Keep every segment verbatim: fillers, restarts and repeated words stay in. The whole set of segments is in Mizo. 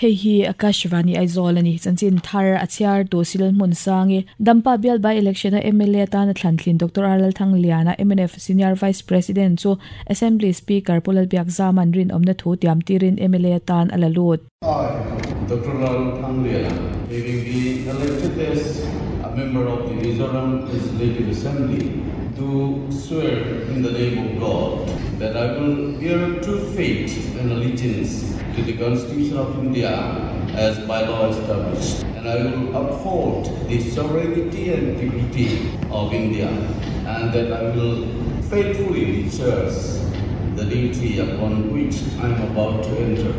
Hei hi Akashvani Aizawl ani chanchin thar a chhiar tu Silal Hmun Sangi Dampa bial by election a M L A atana thlantlin Doctor R Lalthangliana, M N F Senior Vice President chu Assembly Speaker Pu Lalbiakzama'n rinawmna thu tiam tirin M L A atan a la lut. I, Doctor Lalthangliana, having been elected as a member of the Mizoram Legislative Assembly, do swear in the name of God that I will bear true faith and allegiance to the Constitution of India as by law established, and I will uphold the sovereignty and integrity of India, and that I will faithfully discharge the duty upon which I am about to enter.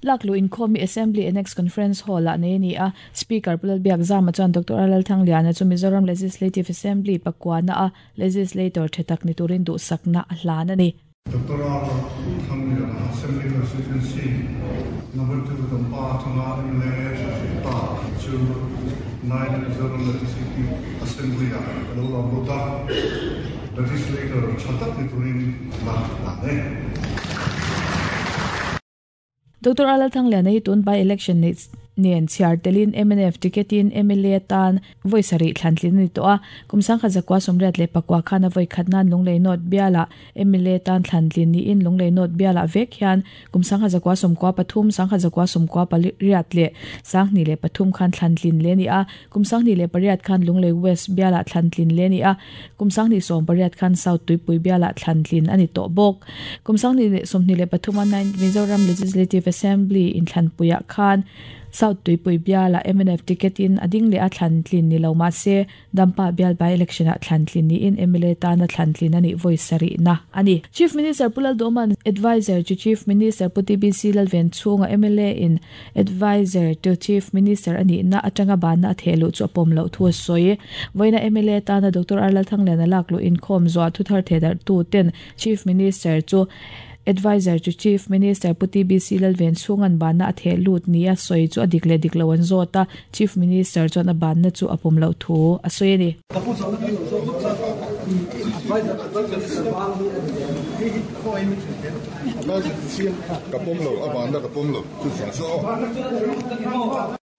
Laklu inkhawm hi Assembly Annex Conference Hall ah nei a ni a. Speaker Pu Lalbiakzama chuan Doctor Lalthangliana chu Mizoram Legislative Assembly pakuana a legislator tha tak ni turin duhsakna a hlan a ni. Doctor Lalthangliana, Assembly Constituency number two Dampa atanga M L A ta chu nine Mizoram Legislative Assembly ah lo lam lut a, legislator tha tak ni turin la hlan e. Doctor Lalthangliana hi tun by election nei nen chhiar telin M N F ticketin M L A tan vawi sarih thlantlin ani tawh a. Kum sangkhat zakua sawmriat leh pakua khan a vawi khat nan Lunglei North biala M L A tan thlantlin niin Lunglei North biala vek hian kum sangkhat zakua sawmkua pathum, sangkhat zakua sawmkua pariat leh sanghnih leh pathum khan thlantlin le ani a. Kum sanghnih leh pariat khan Lunglei West biala thlantlin le ani a. Kum sanghnih sawm pariat khan South Tuipui biala thlantlin ani tawh bawk. Kum sanghnih leh sawmhnih leh pathum a nine Mizoram Legislative Assembly inthlanpuiah khan South Tuipui biala M N F ticketin ading leh a thlantlin ni lo ma se Dampa bial by election a thlantlin ni in M L A tana thlantlin ani vawi sarih na ani. Chief Minister Pu Lalduhoma'n Advisor to Chief Minister Pu T B C Lalvenchhunga M L A in Advisor to Chief Minister ani na atanga bana a thehlu chu a pawm loh thu a sawi. Vawiina M L A tana Doctor R Lalthangliana laklu inkhawm zuah thuthar thedar tu ten Chief Minister chu Advisor to Chief Minister Pu T B C Lalvenchhunga'n bana a thehlut ni a sawi chu a dik leh dik lo an zawt a, Chief Minister chuan a banna chu a pawm loh thu a sawi ani. Ka pawm lo, a banna ka pawm lo chu chu chu.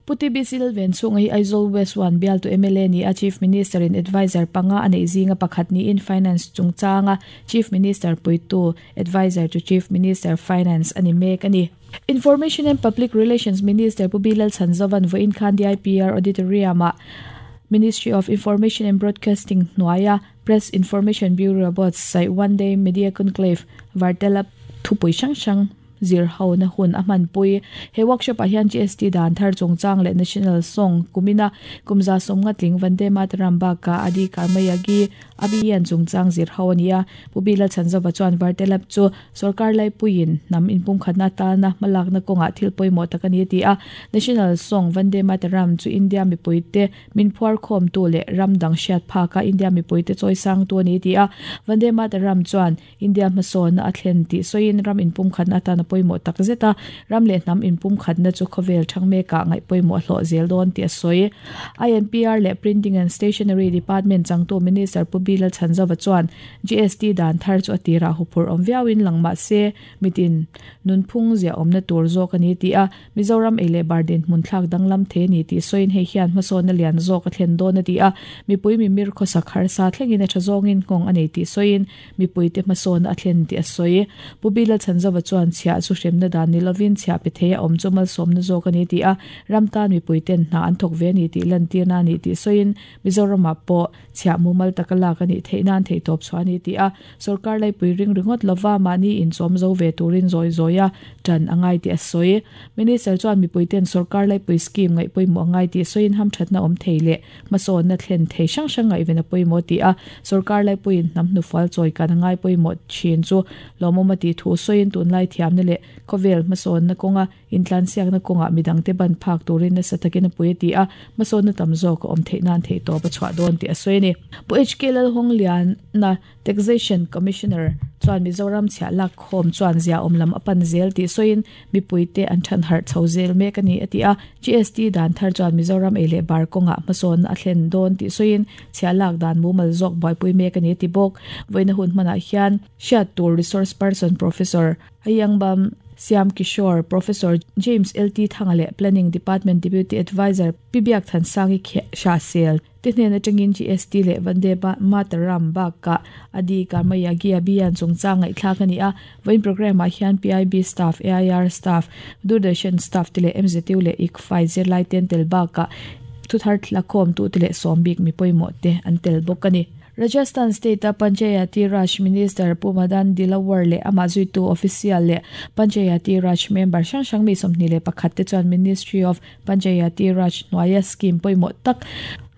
Pu T B C Lalvenchhunga hi Aizawl West one bial tu M L A ni a. Chief Minister in advisor panga anei zinga pakhat ni in Finance chungchanga Chief Minister puitu, Advisor to Chief Minister Finance ani mek ani. Information and Public Relations Minister Pu B Lalchhanzova'n vawiin khan D I P R Auditorium ah Ministry of Information and Broadcasting hnuaia Press Information Bureau buatsaih One Day Media Conclave Vartalap thupui hrang hrang zir ho na hun a hmanpui. He workshop ah hian G S T dan thar chungchang leh National Song kumina kumza sawmnga tling Vande Mataram baka Adi Karmayogi Abhiyan chungchang zir ho ania. Pu B Lalchhanzova chuan Vartalap chu sarkar laipuiin hnam inpumkhatna tana hmalakna kawngah thil pawimawh tak ani a ti a. National Song Vande Mataram chu India mipuite min phuar khawm tu leh ram dang hriat phaka India mipuite chawi sang tu ani a ti a. Vande Mataram chuan India hmasawnna a thlen tih sawiin ram inpumkhatna atana pawimawh tak zet a, ram leh hnam inpumkhatna chu khawvel thang mekah ngaih pawimawh hlawh zel dawn tih a sawi. I N P R leh Printing and Stationery Department changtu Minister Pu B Lalchhanzova chuan G S T dan thar chu a tirah huphurh awm viauin lang mah se mitin nunphung zia awmna tur zawk ani ti a. Mizoram ei leh bar dinhmun thlak danglam the ni tih sawiin hei hian hmasawnna lian zawk a thlen dawn a ti a. Mipui mimir khawsak harsa thlengin a tha zawngin nghawng a nei tih sawiin mipui te hmasawnna a thlen tih a sawi. Pu B Lalchhanzova chuan chhiah chu hremna dan ni lovin chhiah pe thei a awm chu malsawmna zawk ani ti a. Ram tan mipui ten hna an thawk ve ani tih lantirna ani tih sawiin Mizoramah pawh chhiah mumal taka lak ani theih nan theih tawp chu ani ti a. Sarkar laipui ring ringawt lova mahni inchawm zo ve turin zawi zawi a tan angai tih a sawi. Minister chuan mipui ten sarkar laipui scheme ngaih pawimawh angai tih sawiin hamthatna awm thei leh hmasawnna thlen thei hrang hrang ngaihven a pawimawh ti a. Sarkar laipuiin hnam hnufual chawi kan angai pawimawh thin chu lawmawm a tih thu sawiin tunlai thiamna leh khawvel hmasawnna kawnga intlansiakna kawngah midangte ban phak turin nasa takin a pui a ti a. Hmasawnna tam zawk a awm theih nan theih tawp a chhuah dawn tih a sawi a ni. Pu H K Lalhawngliana, Taxation Commissioner chuan Mizoram chhiah lak khawm chuan zia awm lam a pan zel tih sawiin mipui te an than harh chho zel mek ani a ti a. G S T dan thar chuan Mizoram ei leh bar kawngah hmasawnna a thlen dawn tih sawiin chhiah lak dan mumal zawk buaipui mek ani a ti bawk. Vawiina hun hmanah hian hriat tur resource person Professor Ayangbam Siam Kishore Professor James L T Thangale Planning Department Deputy Advisor Pibiak Thansangi Shasel te hnen atangin G S T le Vande Mataram baka adi karmayagi abiyan chungchang ngai thlak ani a voin program a hian P I B staff A I R staff Doordarshan staff te le M Z U le I C F I zirlai ten tel baka thuthar thlakhom tu te le sombik mi poimo te an tel bawk ani. Rajasthan State Panchayati Raj Minister Pumadan Dilawar le amazui tu official le Panchayati Raj member sang sang mi somni le pakhat te chuan Ministry of Panchayati Raj noaya scheme poimo tak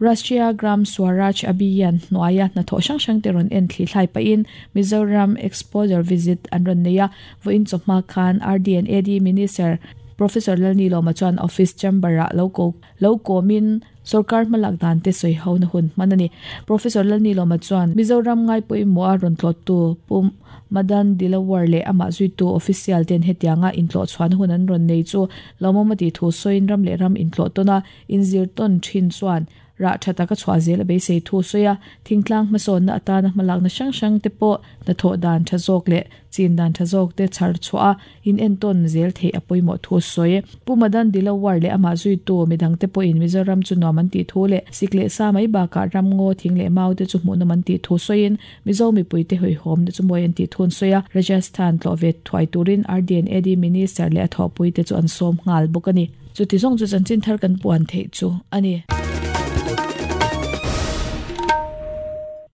Rashtriya Gram Swaraj Abhiyan noaya na tho sang sang te ron en thli thlai pa in Mizoram exposure visit an ron neya voin chawhma khan R D and A D Minister Professor Lalni Loma chuan office chamber a lo lo komin Sarkar malak dan te soi ho na hun manani Professor Lalni Loma chuan Mizoram ngai poimo a ron tlot tu Pum Madan Dilawar le ama zui tu official ten hetianga intlo chuan hun an ron nei chu lomomati thu soin ram le ram intlo tona inzir ton thin chuan ra thata ka chwa zel be sei thu soya thingtlang mason na atana malak na sang sang te po na tho dan tha jok le chin dan tha jok te char chwa in en ton zel the apoimo thu soye Pumadan Dilawar le ama zui tu midang te po in Mizoram chu noman ti thu le sikle sa mai ba ka ram ngo thing le mau te chu mu na man ti thu soin Mizo mi pui te hoi hom te chu moyen ti thun soya Rajasthan tlo vet thwai turin R D and A D Minister le tho pui te chu an som ngal bokani chu ti zong chu chan chin thar kan puan the chu ani.